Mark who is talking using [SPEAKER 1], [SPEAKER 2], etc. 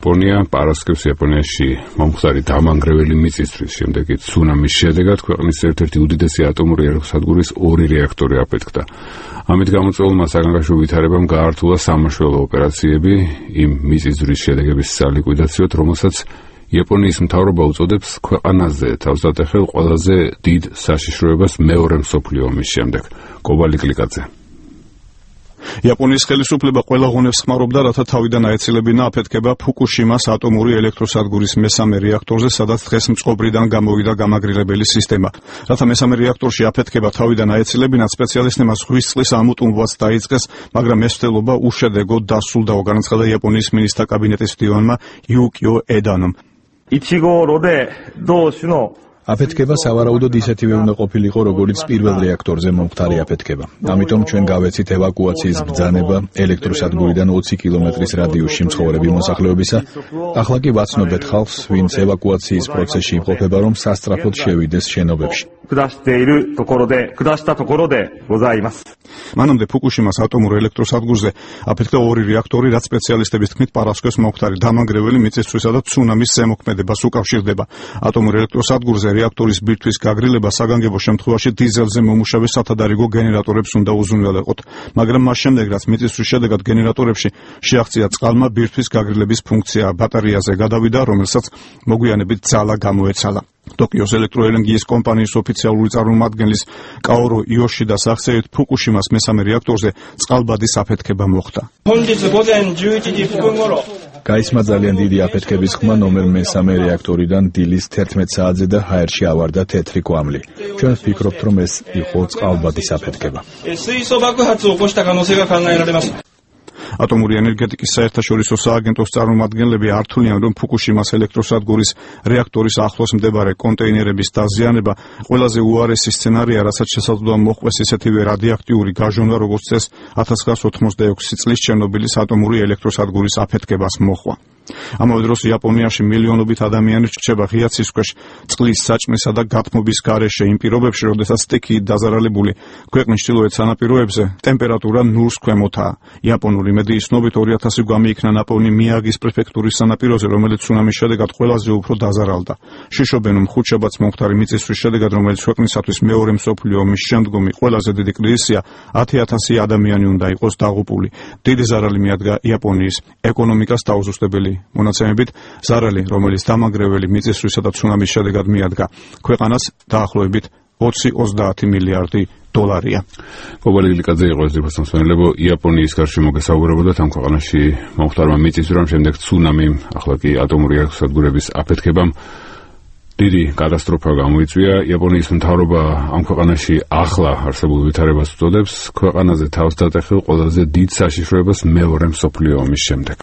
[SPEAKER 1] იაპონია პარასკევს იაპონიაში მომხდარი დამანგრეველი მიწისძვრის შემდეგი ცუნამის შედეგად ქვეყნის ერთ-ერთი უდიდესი ატომური ელექტროსადგურის 2 რეაქტორი აფეთქდა. ამით გამოწვეულმა საგანგაშო ვითარებამ გაართულა სამაშველო ოპერაციები იმ მიწისძვრის შედეგების სალიკვიდაციოდ, რომელსაც იაპონიის მთავრობა უწოდებს ქვეყანაზე თავსატეხელ ყველაზე დიდ საშიშროებას მეორე მსოფლიო ომის შემდეგ. კობალი კლიკაძე.
[SPEAKER 2] იაპონიის ხელისუფლება ყველა ღონეს ხმარობდა, რათა თავიდან აეცილებინა აფეთქება ფუკუშიმას ატომური ელექტროსადგურის მესამე რეაქტორზე, სადაც დღეს მწყობრიდან გამოვიდა გამაგრილებელი სისტემა. რათა მესამე რეაქტორში აფეთქება თავიდან აეცილებინათ, სპეციალისტებმა ზღვის წყლის ამოტუმბვაც დაიწყეს, მაგრამ ეს მცდელობა უშედეგოდ დასრულდა, განაცხადა იაპონიის მინისტრთა კაბინეტის მდივანმა იუკიო ედანომ.
[SPEAKER 3] აფეთქება სავარაუდოდ ისეთივე უნდა ყოფილიყო, როგორც პირველ რეაქტორზე მომხდარი აფეთქება. ამიტომ ჩვენ გავეცით ევაკუაციის ბრძანება ელექტროსადგურიდან 20 კილომეტრის რადიუსში მცხოვრები მოსახლეობისა. ახლა კი ვაცნობთ ხალხს, ვინც ევაკუაციის პროცესში იმყოფება, რომ სასწრაფოდ შევიდეს შენობებში.
[SPEAKER 2] მანამდე ფუკუშიმას ატომურ ელექტროსადგურზე აფეთქდა 2 რეაქტორი, რაც სპეციალისტების თქმით პარასკევს მომხდარი დამანგრეველი მიწისძვრისა და ცუნამის ზემოქმედებას უკავშირდება. ატომურ ელექტროსადგურზე რეაქტორის ბირთვის გაგრილება საგანგებო შემთხვევაში დიზელზე მომუშავე სათადარიგო გენერატორებს უნდა უზრუნველეყოთ, მაგრამ მას შემდეგ, რაც მიწისძვრის შედეგად გენერატორებში შეაღწია წყალმა, ბირთვის გაგრილების ფუნქცია ბატარეაზე გადავიდა, რომელსაც მოგვიანებით ძალა გამოეცალა. ტოკიოს ელექტროენერგიის კომპანიის ოფიციალური წარმომადგენლის კაორო იოშიდას აღწერით, ფუკუშიმას მესამე რეაქტორზე წყალბადის აფეთქება მოხდა.
[SPEAKER 3] გაისმა ძალიან დიდი აფეთქების ხმა ნომერ მესამე რეაქტორიდან დილის 11 საათზე და ჰაერში ავარდა თეთრი კვამლი. ჩვენ ვფიქრობთ, რომ ეს იყო წყალბადის აფეთქება. ატომური ენერგეტიკის საერთაშორისო სააგენტოს წარმომადგენლები ართულიან, რომ ფუკუშიმას ელექტროსადგურის რეაქტორის ახლოს მდებარე კონტეინერების დაზიანება ყველაზე უარესი სცენარია, რასაც შესაძლოა მოჰყვეს ისეთივე რადიოაქტიური გაჟონვა, როგორც ეს 1986 წლის ჩერნობილის ატომური ელექტროსადგურის აფეთქებას მოჰყვა. ამავე დროს იაპონიაში მილიონობით ადამიანი რჩება ღია ცის ქვეშ წყლის საჭმესა და გათმობის გარეშე იმ პირობებში, როდესაც სტიქიით დაზარალებული ქვეყნის ჩრდილოეთ სანაპიროებზე ტემპერატურა 0-ს ქვემოთაა. იაპონური მედიის ცნობით 2000 გამიიქნა ნაპოვნი მიაგის პრეფექტურის სანაპიროზე, რომელიც ცუნამის შედეგად ყველაზე უფრო დაზარალდა. შიშობენ, რომ ხუთშაბათს მომხდარი მიწისძვრის შედეგად, რომელიც ქვეყნისათვის მეორე მსოფლიო ომის შემდგომი ყველაზე დიდი კრიზისია, 10,000 ადამიანი უნდა იყოს დაღუპული. დიდი ზარალი მიადგა იაპონიის ეკონომიკას დაუზუსტებელი მონაცემებით, ზარალი, რომელიც დამანგრეველი მიწისძვრისა და ცუნამის შედეგად მიადგა ქვეყანას, დაახლოებით 20-30 მილიარდი დოლარია.
[SPEAKER 1] კობალი კლიკაძე იყო ეს რიფასმსვენელებო. იაპონიის გარშემო გესაუბრებოდათ ამ ქვეყანაში მომხდარმა მიწისძვრამ, შემდეგ ცუნამიმ, ახლა კი ატომური ელექტროსადგურების აფეთქებამ დიდი კატასტროფა გამოიწვია. იაპონიის მთავრობა ამ ქვეყანაში ახლა არსებულ ვითარებას უწოდებს ქვეყანაზე თავს დატეხილ ყველაზე დიდ საშიშროებას მეორე მსოფლიო ომის შემდეგ.